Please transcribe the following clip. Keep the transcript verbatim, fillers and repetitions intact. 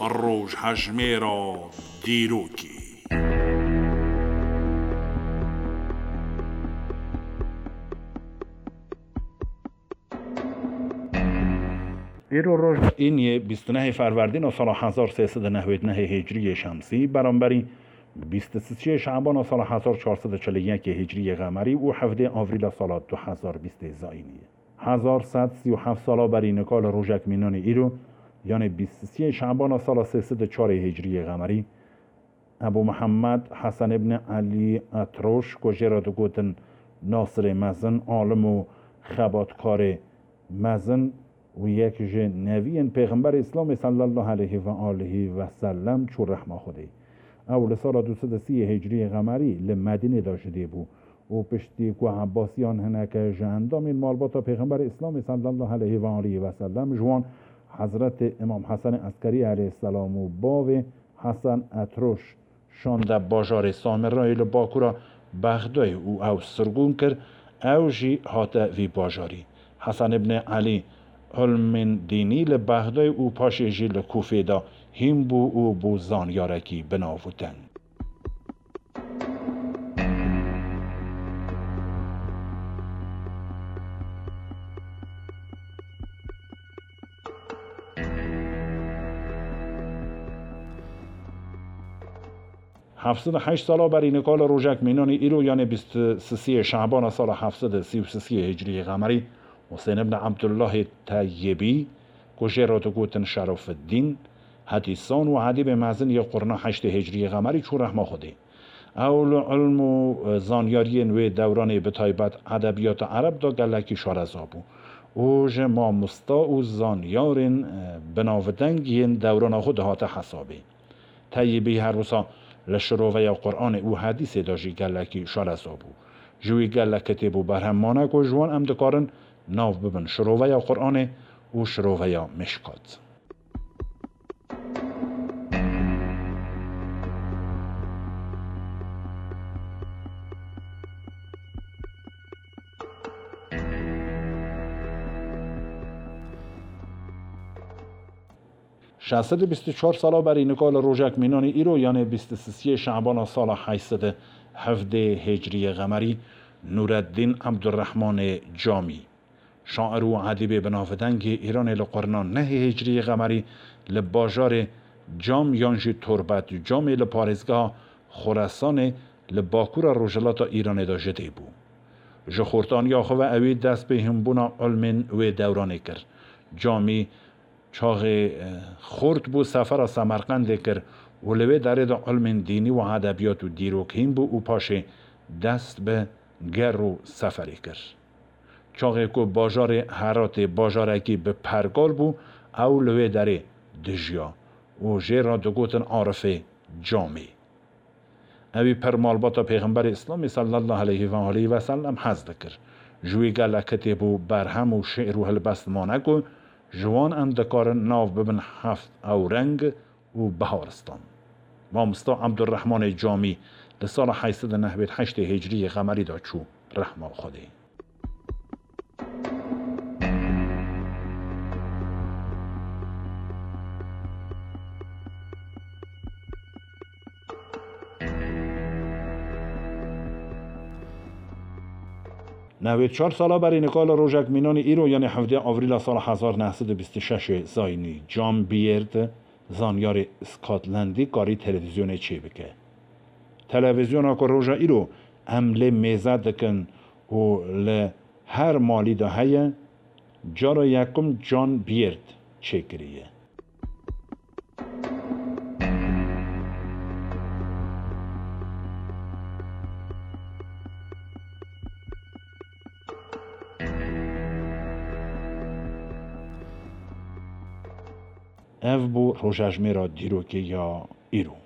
Rojhejmêra dîrokê. Îro roj îniyê bîst û nehê Ferwerdîna sala hezar sê sed û nehwêd nehê Hicriyê Şemsî, beramberî bîst û sisiyê Şebana sala hezar çar sed û çil û yekê Hicriyê Qemerî û hevdê Avrîla sala du hezar bîstê Zayînî ye. Hezar sed sî û heft sala berî nika li rojek mînanê îro, yanê bîst û sisiyê Şebana sala sê sed û çarê Hicriyê Qemerî, Ebû Mihemed Hesen ibn Elî Etroş, ku jê re digotin Nasirê Mezin, alim û xebatkarê mezin û yek ji neviyên Pêxemberê Îslamê sallallahu aleyhi ve aleyhi ve sellem çû rehma Xwedê. Ew li sala du sed û sî Hicriyê Qemerî li Medînê de ji dê bû û piştî ku Ebbasiyan hineke ji endamên malbata Pêxemberê Îslamê sallallahu aleyhi ve aleyhi ve sellem ji wan Hezretê Îmam Hesenê Eskerî aleyhisselam û bavê Hesen Etroş şande bajarê Samirayê li bakura Bexdayê û ew sirgûn kir, ew jî hate vî bajarî. Hesen ibn Elî ilmên dînî li Bexdayê û paşê jî li Kûfê de hîn bû û bû zanyarekî binavûteng. Heft sed û heşt sala berî nika li rojek mînanî îro, yanê bîst û sisiyê Şebana sala heft sed û sî û sisiyê Hicriyê Qemerî, Husên ibn Ebdullahê Teyyibî, ku jê re digotin Şerofiddîn, hedîsan û edîbê mezin yê qurna heştê Hicriyê Qemerî çû rehma Xwedê. Ew li ilm û, e, zanyariyên wê dewranê, bi taybet edebiyata ereb de gelekî şareza bû û ji mamosta û zanyarên, e, binavdeng yên dewrana xwe dihate hesabê. Teyyibî her wisa li şiroveya Qur'anê û hedîsê de jî gelekî şareza bû. Ji wî gelek kitêb û berhem mane ku ji wan em dikarin nav bibin şiroveya Qur'anê û şiroveya Mişkat. Şeş sed û bîst û çar sala berî nika li rojek mînanî îro, yanê bîst û sisiyê Şebana sala heşt sed û hevdê Hicriyê Qemerî, Nûreddîn Ebdurrehmanê Camî, şair û edîbê binavdengê Îranê, li qurna nehê Hicriyê Qemerî li bajarê Cam yan jî Torbet Camê li parêzgeha Xoresanê li bakura rojhilata Îranê de ji dê bû. Ji xortaniya xwe ve ewî dest bi hînbûna ilmên wê dewranê kir. Camî çaxê, e, xort bû, sefera Semerqendê kir û li wê derê de ilmên dînî û edebiyat û dîrok hîn bû û paşê dest bi ger û seferê kir. Çaxê ku bajarê Heratê bajarekî bi pergal bû, ew li wê derê dijiya û jê re digotin Arifê Camî. Ewî pir malbata Pêxemberê Îslamê sallallahu aleyhi ve aleyhi ve sellem hez dikir. Ji wî gelek kitêb û berhem û şi'r û hilbest mane ku ji wan em dikarin nav bibin heft ewreng û biharistan. Mamosta Ebdurrehmanê Camî li sala heşt sed û nehwêd heştê Hicriyê Qemerî de çû rehma Xwedê. Newêd çar sala berî nika li rojek mînanî îro, yanê hevdê Avrîla sala hezar neh sed û bîst û şeş zayînî, John Beard, zanyarê Scotlandî, karî televîzyonê çêbike. Televîzyona ku roja îro em lê mêze dikin û li her malî de heye, cara yekum John Beard çêkiriye. Ev bû rojejmêra dîrokê ya îro.